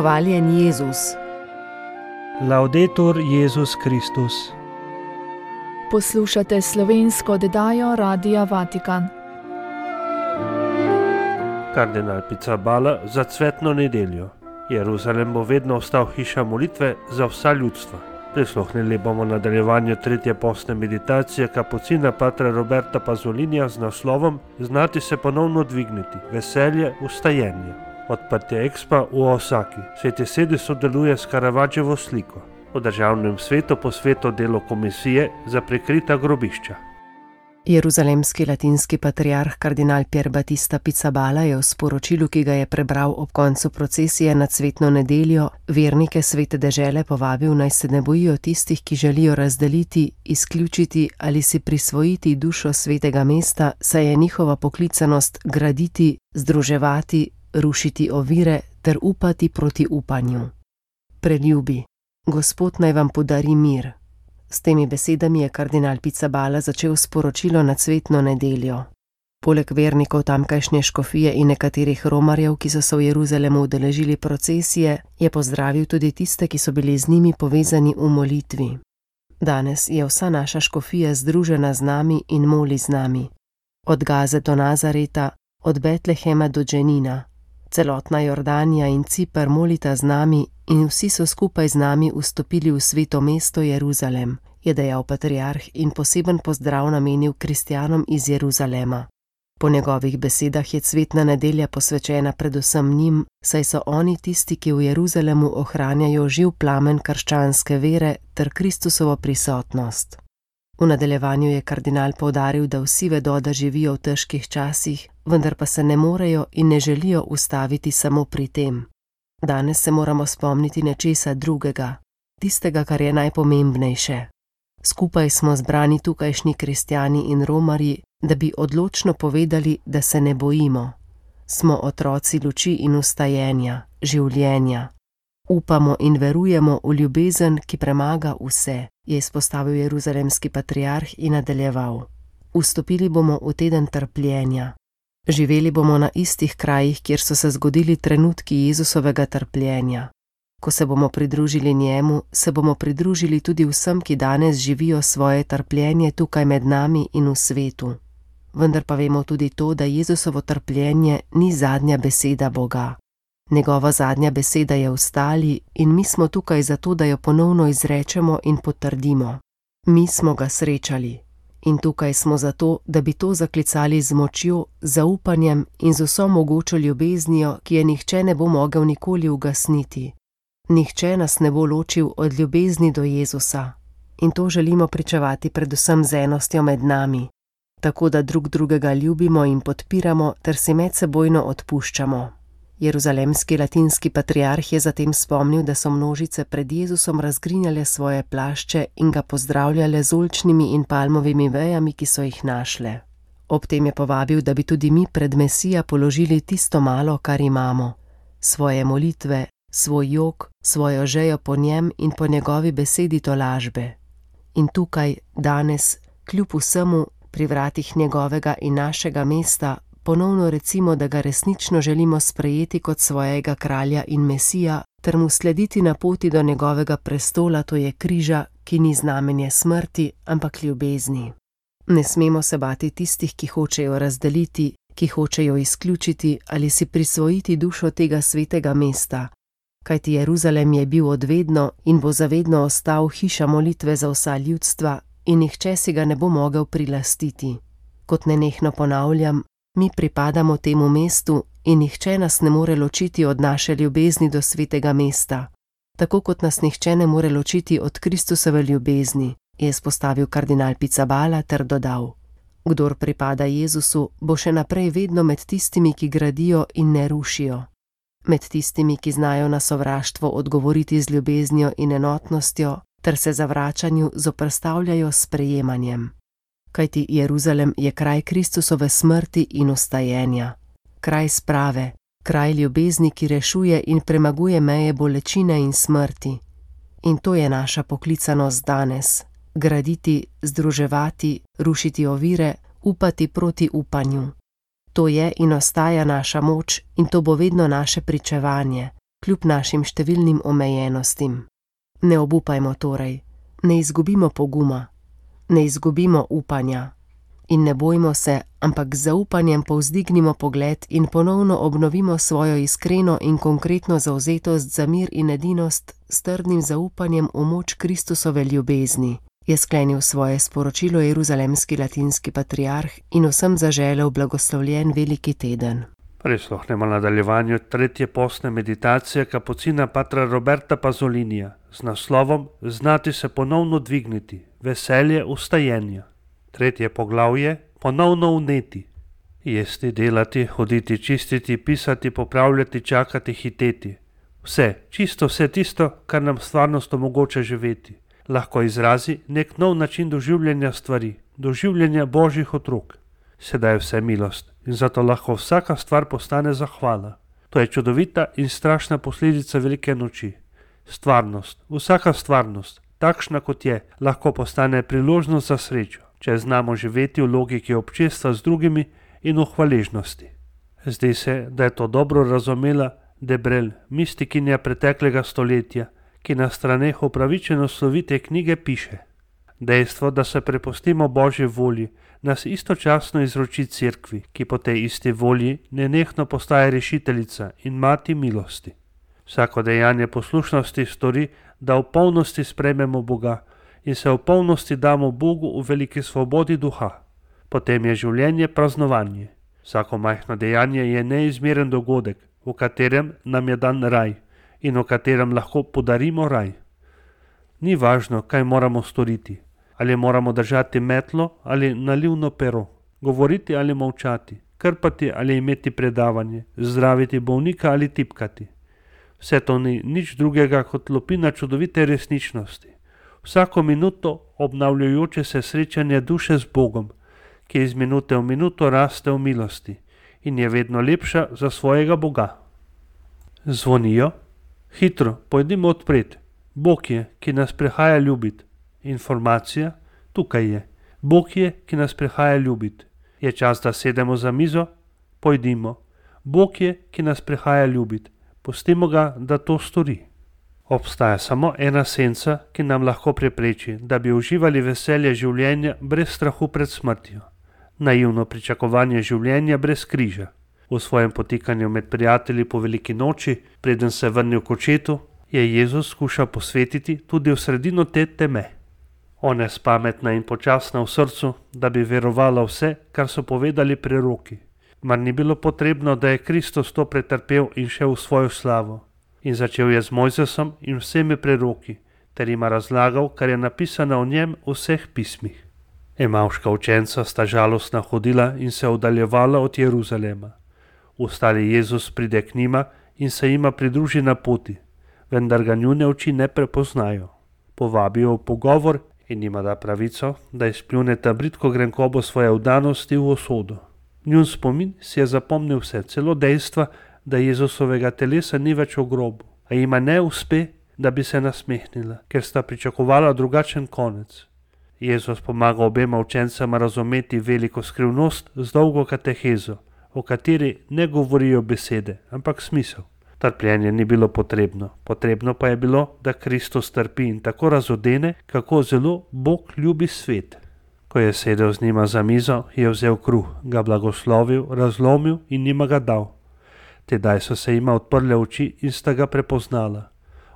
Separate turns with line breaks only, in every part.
Hvaljen Jezus.
Laudetur Jezus Kristus.
Poslušate slovensko oddajo Radia Vatikan.
Kardinal Pizzaballa za cvetno nedeljo. Jeruzalem bo vedno ostal hiša molitve za vsa ljudstva. Prisluhnili bomo nadaljevanju tretje postne meditacije kapucina patra Roberta Pazolinija z naslovom Znati se ponovno dvigniti, veselje, vstajenje. Odprtje Expa v Osaki. Sveti sedi sodeluje s Caravaggeovo sliko. V državnem svetu posveto delo komisije za prikrita grobišča.
Jeruzalemski latinski patriarh kardinal Pier Battista Pizzaballa je v sporočilu, ki ga je prebral ob koncu procesije na cvetno nedeljo, vernike svete dežele povabil, naj se ne bojijo tistih, ki želijo razdeliti, izključiti ali si prisvojiti dušo svetega mesta, saj je njihova poklicanost graditi, združevati, rušiti ovire ter upati proti upanju. Preljubi, Gospod naj vam podari mir. S temi besedami je kardinal Pizzaballa začel sporočilo na cvetno nedeljo. Poleg vernikov tamkajšnje škofije in nekaterih romarjev, ki so se v Jeruzalemu udeležili procesije, je pozdravil tudi tiste, ki so bili z njimi povezani v molitvi. Danes je vsa naša škofija združena z nami in moli z nami. Od Gaze do Nazareta, od Betlehema do Dženina. Celotna Jordanija in Ciper molita z nami in vsi so skupaj z nami vstopili v sveto mesto Jeruzalem, je dejal patriarh in poseben pozdrav namenil kristjanom iz Jeruzalema. Po njegovih besedah je cvetna nedelja posvečena predvsem njim, saj so oni tisti, ki v Jeruzalemu ohranjajo živ plamen krščanske vere ter Kristusovo prisotnost. V nadaljevanju je kardinal poudaril, da vsi vedo, da živijo v težkih časih, vendar pa se ne morejo in ne želijo ustaviti samo pri tem. Danes se moramo spomniti nečesa drugega, tistega, kar je najpomembnejše. Skupaj smo zbrani tukajšnji kristjani in romarji, da bi odločno povedali, da se ne bojimo. Smo otroci luči in vstajenja, življenja. Upamo in verujemo v ljubezen, ki premaga vse, je izpostavil jeruzalemski patriarh in nadaljeval. Vstopili bomo v teden trpljenja. Živeli bomo na istih krajih, kjer so se zgodili trenutki Jezusovega trpljenja. Ko se bomo pridružili njemu, se bomo pridružili tudi vsem, ki danes živijo svoje trpljenje tukaj med nami in v svetu. Vendar pa vemo tudi to, da Jezusovo trpljenje ni zadnja beseda Boga. Njegova zadnja beseda je vstali in mi smo tukaj zato, da jo ponovno izrečemo in potrdimo. Mi smo ga srečali. In tukaj smo zato, da bi to zaklicali z močjo, zaupanjem in z vso mogočo ljubeznijo, ki je nihče ne bo mogel nikoli ugasniti. Nihče nas ne bo ločil od ljubezni do Jezusa. In to želimo pričevati predvsem z enostjo med nami, tako da drug drugega ljubimo in podpiramo ter si medsebojno odpuščamo. Jeruzalemski latinski patriarh je zatem spomnil, da so množice pred Jezusom razgrinjale svoje plašče in ga pozdravljale z oljčnimi in palmovimi vejami, ki so jih našle. Ob tem je povabil, da bi tudi mi pred Mesija položili tisto malo, kar imamo. Svoje molitve, svoj jok, svojo žejo po njem in po njegovi besedi tolažbe. In tukaj, danes, kljub vsemu, pri vratih njegovega in našega mesta, ponovno recimo, da ga resnično želimo sprejeti kot svojega kralja in Mesija, ter mu slediti na poti do njegovega prestola, to je križa, ki ni znamenje smrti, ampak ljubezni. Ne smemo se bati tistih, ki hočejo razdeliti, ki hočejo izključiti ali si prisvojiti dušo tega svetega mesta, kajti Jeruzalem je bil odvedno in bo zavedno ostal hiša molitve za vsa ljudstva in nihče si ga ne bo mogel prilastiti. Kot nenehno ponavljam, mi pripadamo temu mestu in nihče nas ne more ločiti od naše ljubezni do svetega mesta, tako kot nas nihče ne more ločiti od Kristusove ljubezni, je izpostavil kardinal Pizzaballa ter dodal. Kdor pripada Jezusu, bo še naprej vedno med tistimi, ki gradijo in ne rušijo. Med tistimi, ki znajo na sovraštvo odgovoriti z ljubeznijo in enotnostjo, ter se zavračanju zoperstavljajo s sprejemanjem. Kajti Jeruzalem je kraj Kristusove smrti in vstajenja, kraj sprave, kraj ljubezni, ki rešuje in premaguje meje bolečine in smrti. In to je naša poklicanost danes, graditi, združevati, rušiti ovire, upati proti upanju. To je in ostaja naša moč in to bo vedno naše pričevanje, kljub našim številnim omejenostim. Ne obupajmo torej, ne izgubimo poguma, ne izgubimo upanja in ne bojmo se, ampak z zaupanjem povzdignimo pogled in ponovno obnovimo svojo iskreno in konkretno zavzetost za mir in edinost s trdnim zaupanjem v moč Kristusove ljubezni, je sklenil svoje sporočilo jeruzalemski latinski patriarh in vsem zaželel blagoslovljen veliki teden.
Prisluhnemo nadaljevanju tretje postne meditacije kapucina patra Roberta Pazzolinija z naslovom Znati se ponovno dvigniti, veselje vstajenja. Tretje poglavje, ponovno vneti. Jesti, delati, hoditi, čistiti, pisati, popravljati, čakati, hiteti. Vse, čisto vse tisto, kar nam stvarnost omogoča živeti. Lahko izrazi nek nov način doživljanja stvari, doživljanja božjih otrok. Sedaj je vse milost in zato lahko vsaka stvar postane zahvala. To je čudovita in strašna posledica velike noči. Stvarnost, vsaka stvarnost, takšna kot je, lahko postane priložnost za srečo, če znamo živeti v logiki občestva z drugimi in v hvaležnosti. Zdi se, da je to dobro razumela Debrel, mistikinja preteklega stoletja, ki na straneh upravičeno slovite knjige piše: Dejstvo, da se prepustimo Božji volji, nas istočasno izroči cerkvi, ki po tej isti volji nenehno postaja rešiteljica in mati milosti. Vsako dejanje poslušnosti stori, da v polnosti sprejmemo Boga in se v polnosti damo Bogu v veliki svobodi duha. Potem je življenje praznovanje. Vsako majhno dejanje je neizmeren dogodek, v katerem nam je dan raj in v katerem lahko podarimo raj. Ni važno, kaj moramo storiti. Ali moramo držati metlo ali nalivno pero, govoriti ali molčati, krpati ali imeti predavanje, zdraviti bolnika ali tipkati. Vse to ni nič drugega kot lupina čudovite resničnosti. Vsako minuto obnavljajoče se srečanje duše z Bogom, ki iz minute v minuto raste v milosti in je vedno lepša za svojega Boga. Zvonijo. Hitro, pojdimo odpret. Bog je, ki nas prihaja ljubit. Informacija, tukaj je. Bog je, ki nas prihaja ljubit. Je čas, da sedemo za mizo? Pojdimo. Bog je, ki nas prihaja ljubit. Pustimo ga, da to stori. Obstaja samo ena senca, ki nam lahko prepreči, da bi uživali veselje življenja brez strahu pred smrtjo. Naivno pričakovanje življenja brez križa. V svojem potikanju med prijatelji po veliki noči, preden se vrnil k očetu, je Jezus skušal posvetiti tudi v sredino te teme. Ona je spametna in počasna v srcu, da bi verovala vse, kar so povedali preroki. Mar ni bilo potrebno, da je Kristus to pretrpel in šel v svojo slavo. In začel je z Mojzesom in vsemi preroki, ter jima razlagal, kar je napisano o njem v vseh pismih. Emavška učenca sta žalostna hodila in se oddaljevala od Jeruzalema. Ustali Jezus pride k njima in se jima pridruži na poti, vendar ga njune oči ne prepoznajo. Povabijo v pogovor in jima da pravico, da izpljuneta bridko grenkobo svoje vdanosti v usodo. Njun spomin si je zapomnil vse, celo dejstva, da Jezusovega telesa ni več v grobu, a jima ne uspe, da bi se nasmehnila, ker sta pričakovala drugačen konec. Jezus pomaga obema učencama razumeti veliko skrivnost z dolgo katehezo, o kateri ne govorijo besede, ampak smisel. Trpljenje ni bilo potrebno, potrebno pa je bilo, da Kristus trpi in tako razodene, kako zelo Bog ljubi svet. Ko je sedel z njima za mizo, je vzel kruh, ga blagoslovil, razlomil in njima ga dal. Tedaj so se jima odprle oči in sta ga prepoznala.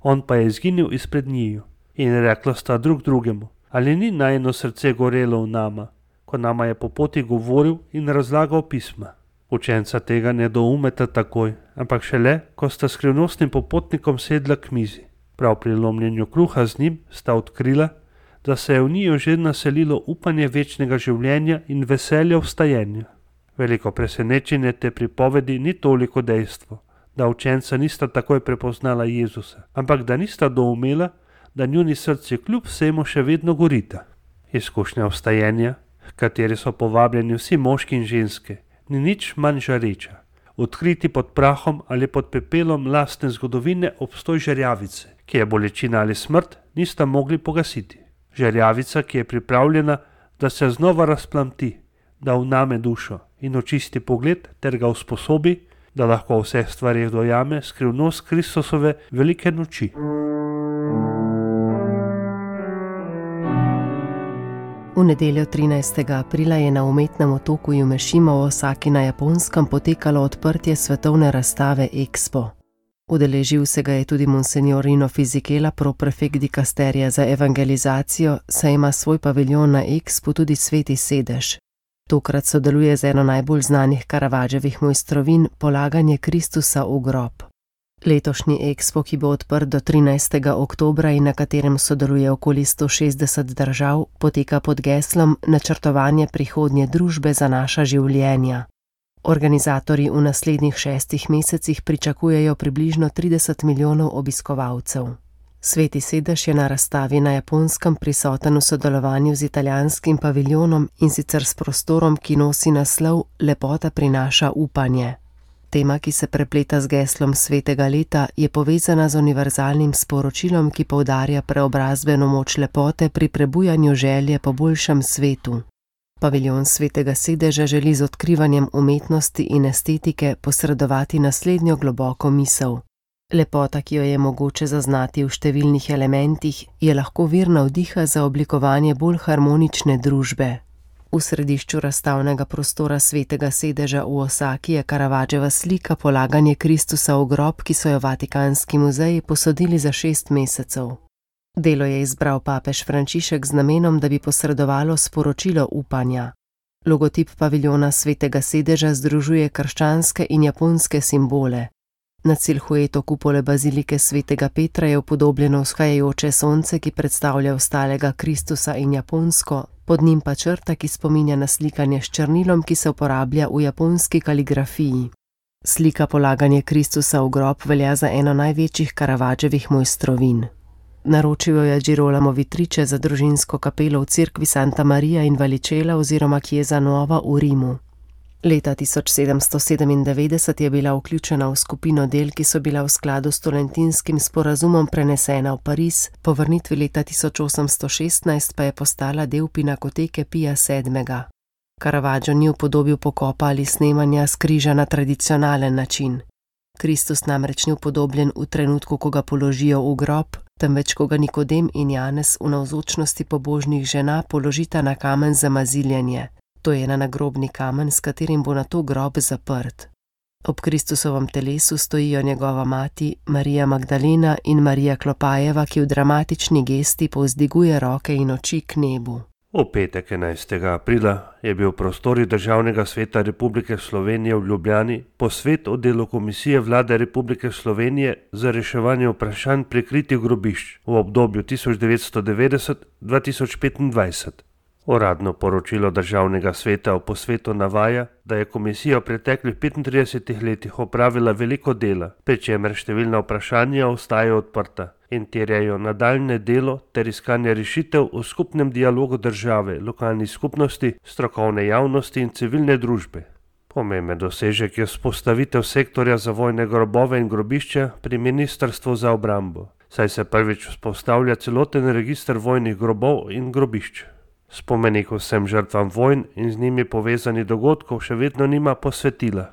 On pa je izginil izpred njiju in rekla sta drug drugemu: Ali ni najino srce gorelo v nama, ko nama je po poti govoril in razlagal pisma? Učenca tega ne doumeta takoj, ampak šele, ko sta skrivnostnim popotnikom sedla k mizi. Prav pri lomljenju kruha z njim sta odkrila, da se je v njiju že naselilo upanje večnega življenja in veselja vstajenja. Veliko presenečenje te pripovedi ni toliko dejstvo, da učenca nista takoj prepoznala Jezusa, ampak da nista doumela, da njuni srci kljub vsemu še vedno gorita. Izkušnja vstajenja, v kateri so povabljeni vsi moški in ženske, ni nič manj žareča. Odkriti pod prahom ali pod pepelom lastne zgodovine obstoj žerjavice, ki je bolečina ali smrt, nista mogli pogasiti. Žerjavica, ki je pripravljena, da se znova razplamti, da vname dušo in očisti pogled ter ga usposobi, da lahko v vseh stvarih dojame skrivnost Kristusove velike noči.
V nedeljo 13. aprila je na umetnem otoku Jumešima v Osaki na Japonskem potekalo odprtje svetovne razstave Expo. Udeležil se ga je tudi monsignor Rino Fisichella, proprefekt dikasterija za evangelizacijo, saj ima svoj paviljon na Expo tudi Sveti sedež. Tokrat sodeluje z eno najbolj znanih Caravaggiovih mojstrovin, polaganje Kristusa v grob. Letošnji Expo, ki bo odprt do 13. oktobra in na katerem sodeluje okoli 160 držav, poteka pod geslom Načrtovanje prihodnje družbe za naša življenja. Organizatorji v naslednjih 6 mesecih pričakujejo približno 30 milijonov obiskovalcev. Sveti sedež je na razstavi na Japonskem prisoten v sodelovanju z italijanskim paviljonom in sicer s prostorom, ki nosi naslov Lepota prinaša upanje. Tema, ki se prepleta z geslom svetega leta, je povezana z univerzalnim sporočilom, ki poudarja preobrazbeno moč lepote pri prebujanju želje po boljšem svetu. Paviljon Svetega sedeža želi z odkrivanjem umetnosti in estetike posredovati naslednjo globoko misel. Lepota, ki jo je mogoče zaznati v številnih elementih, je lahko vir navdiha za oblikovanje bolj harmonične družbe. V središču razstavnega prostora Svetega sedeža v Osaki je Caravaggiova slika Polaganje Kristusa v grob, ki so jo Vatikanski muzeji posodili za 6 mesecev. Delo je izbral papež Frančišek z namenom, da bi posredovalo sporočilo upanja. Logotip paviljona Svetega sedeža združuje krščanske in japonske simbole. Na silhueto kupole bazilike Svetega Petra je upodobljeno vzhajajoče sonce, ki predstavlja ostalega Kristusa in Japonsko, pod njim pa črta, ki spominja na slikanje s črnilom, ki se uporablja v japonski kaligrafiji. Slika Polaganje Kristusa v grob velja za eno največjih Caravaggiovih mojstrovin. Naročil jo je Girolamo Vitriče za družinsko kapelo v cerkvi Santa Maria in Vallicella oziroma Chiesa Nuova v Rimu. Leta 1797 je bila vključena v skupino del, ki so bila v skladu s Tolentinskim sporazumom prenesena v Pariz, po vrnitvi leta 1816 pa je postala del Pinakoteke Pija VII. Caravaggio ni upodobil pokopa ali snemanja s križa na tradicionalen način. Kristus namreč ni upodobljen v trenutku, ko ga položijo v grob, temveč ko ga Nikodem in Janez v navzočnosti pobožnih žena položita na kamen za maziljenje. To je na nagrobni kamen, s katerim bo nato grob zaprt. Ob Kristusovem telesu stojijo njegova mati, Marija Magdalena in Marija Klopajeva, ki v dramatični gesti povzdiguje roke in oči k nebu.
V petek 11. aprila je bil v prostorih Državnega sveta Republike Slovenije v Ljubljani posvet o delu Komisije Vlade Republike Slovenije za reševanje vprašanj prikritih grobišč v obdobju 1990-2025. Uradno poročilo Državnega sveta o posvetu navaja, da je komisija v preteklih 35 letih opravila veliko dela, pri čemer številna vprašanja ostajajo odprta in terjajo nadaljnje delo ter iskanje rešitev v skupnem dialogu države, lokalnih skupnosti, strokovne javnosti in civilne družbe. Pomemben dosežek je vzpostavitev sektorja za vojne grobove in grobišča pri Ministrstvu za obrambo, saj se prvič vzpostavlja celoten register vojnih grobov in grobišč. Spomenik vsem žrtvam vojn in z njimi povezanih dogodkov še vedno nima posvetila.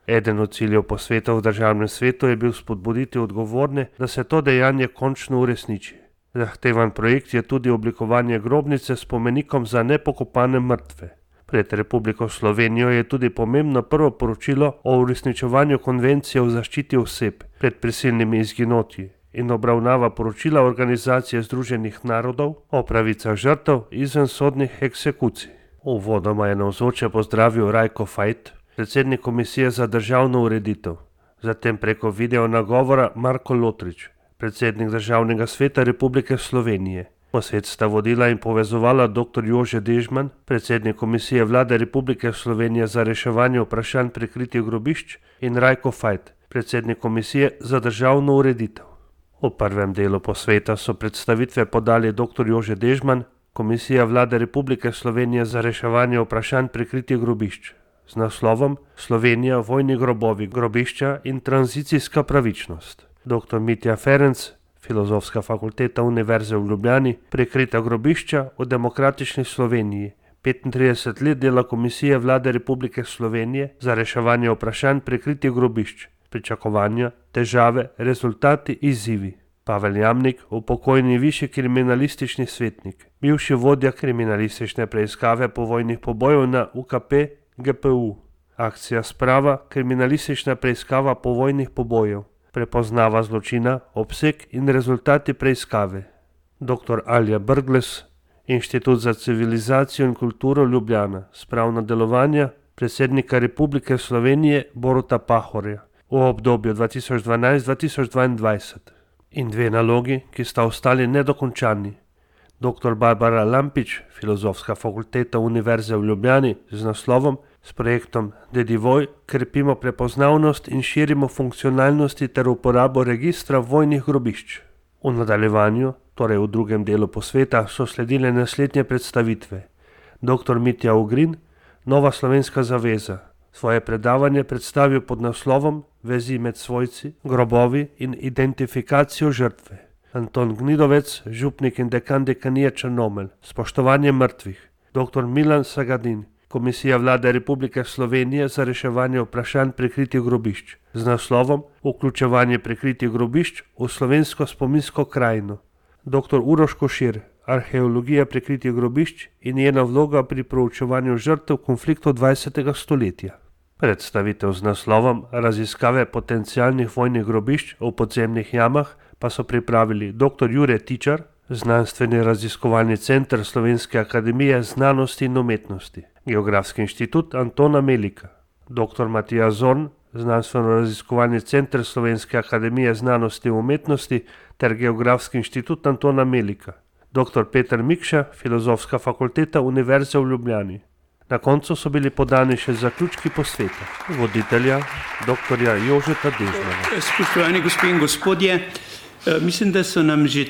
Eden od ciljev posveta v Državnem svetu je bil spodbuditi odgovorne, da se to dejanje končno uresniči. Zahtevan projekt je tudi oblikovanje grobnice s spomenikom za nepokopane mrtve. Pred Republiko Slovenijo je tudi pomembno prvo poročilo o uresničevanju konvencije o zaščiti oseb pred prisilnimi izginotji in obravnava poročila Organizacije združenih narodov o pravicah žrtev izvensodnih eksekucij. Uvodoma je navzoče pozdravil Rajko Fajt, predsednik Komisije za državno ureditev, zatem preko video nagovora Marko Lotrič, predsednik Državnega sveta Republike Slovenije. Posvet sta vodila in povezovala dr. Jože Dežman, predsednik Komisije Vlade Republike Slovenije za reševanje vprašanj prikritih grobišč, in Rajko Fajt, predsednik Komisije za državno ureditev. V prvem delu posveta so predstavitve podali dr. Jože Dežman, Komisija Vlade Republike Slovenije za reševanje vprašanj prikritih grobišč, z naslovom Slovenija, vojni grobovi, grobišča in tranzicijska pravičnost. Dr. Mitja Ferenc, Filozofska fakulteta Univerze v Ljubljani, Prikrita grobišča v demokratični Sloveniji, 35 let dela Komisije Vlade Republike Slovenije za reševanje vprašanj prikritih grobišč, pričakovanja, težave, rezultati, izzivi. Pavel Jamnik, upokojeni višji kriminalistični svetnik, bivši vodja kriminalistične preiskave povojnih pobojev na UKP GPU. Akcija Sprava, kriminalistična preiskava povojnih pobojev, prepoznava zločina, obseg in rezultati preiskave. Dr. Alja Brglez, Inštitut za civilizacijo in kulturo Ljubljana, spravna delovanja predsednika Republike Slovenije Boruta Pahorja v obdobju 2012-2022. In dve nalogi, ki sta ostali nedokončani. Dr. Barbara Lampič, Filozofska fakulteta Univerze v Ljubljani, z naslovom s projektom Dedivoj krepimo prepoznavnost in širimo funkcionalnosti ter uporabo registra vojnih grobišč. V nadaljevanju, torej v drugem delu posveta, so sledile naslednje predstavitve. Dr. Mitja Ugrin, Nova slovenska zaveza, svoje predavanje predstavil pod naslovom Vezi med svojci, grobovi in identifikacijo žrtve. Anton Gnidovec, župnik in dekan dekanije Črnomelj, spoštovanje mrtvih. Dr. Milan Sagadin, Komisija Vlade Republike Slovenije za reševanje vprašanj prikritih grobišč, z naslovom Vključevanje prikritih grobišč v slovensko spominsko krajino. Dr. Uroš Košir, Arheologija prikritih grobišč in njena vloga pri proučevanju žrtev konfliktov 20. stoletja. Predstavitev z naslovom Raziskave potencialnih vojnih grobišč v podzemnih jamah pa so pripravili dr. Jure Tičar, Znanstveni raziskovalni center Slovenske akademije znanosti in umetnosti, Geografski inštitut Antona Melika, dr. Matija Zorn, Znanstveno-raziskovalni center Slovenske akademije znanosti in umetnosti ter Geografski inštitut Antona Melika, dr. Peter Mikša, Filozofska fakulteta Univerze v Ljubljani. Na koncu so bili podani še zaključki posveta voditelja dr. Jožeta Dežmana.
Spoštovani gospe in gospodje, mislim, da so nam že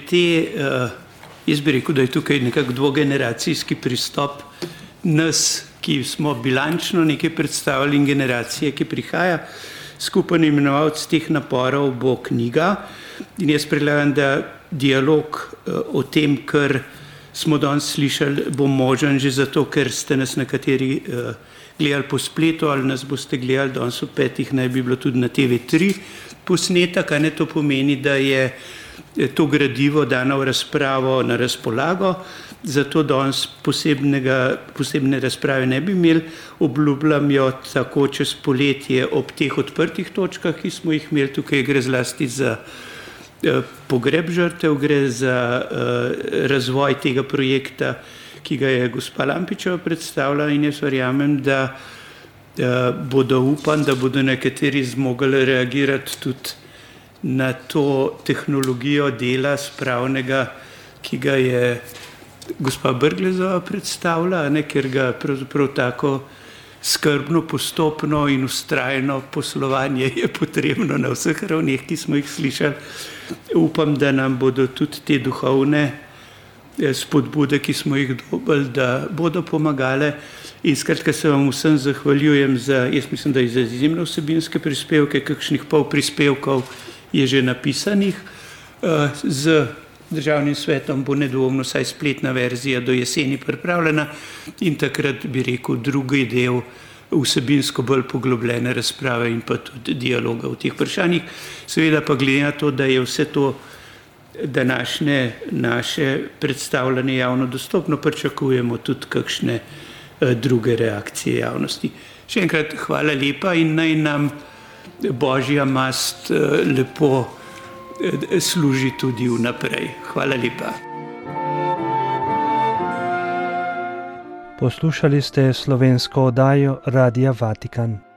jaz bi rekel, da je tukaj nekako dvogeneracijski pristop nas, ki smo bilančno nekaj predstavili, in generacije, ki prihaja. Skupen imenovalec teh naporov bo knjiga in jaz predlagam, da dialog o tem, kar smo danes slišali, bo možen že zato, ker ste nas nekateri gledali po spletu ali nas boste gledali danes v 5, naj bi bilo tudi na TV3 posnetek, ne, to pomeni, da je to gradivo dano v razpravo na razpolago, zato danes posebne razprave ne bi imeli, obljubljam jo tako čez poletje ob teh odprtih točkah, ki smo jih imeli. Tukaj gre zlasti za pogreb žrtev, gre za razvoj tega projekta, ki ga je gospa Lampičeva predstavila, in jaz verjamem, da upam, da bodo nekateri zmogli reagirati tudi na to tehnologijo dela spravnega, ki ga je gospa Brglezova predstavila, ker ga pravzaprav tako skrbno, postopno in vztrajno poslovanje je potrebno na vseh ravneh, ki smo jih slišali. Upam, da nam bodo tudi te duhovne spodbude, ki smo jih dobili, da bodo pomagale. In skratka se vam vsem zahvaljujem za, jaz mislim, da za izjemne vsebinske prispevke, kakšnih pol prispevkov je že napisanih. Z Državnim svetom bo nedvomno vsaj spletna verzija do jeseni pripravljena in takrat bi rekel drugi del vsebinsko bolj poglobljene razprave in pa tudi dialoga v teh vprašanjih. Seveda pa glede na to, da je vse to današnje naše predstavljanje javno dostopno, pričakujemo tudi kakšne druge reakcije javnosti. Še enkrat hvala lepa in naj nam Božja mast lepo služi tudi vnaprej. Hvala lepa.
Poslušali ste slovensko oddajo Radia Vatikan.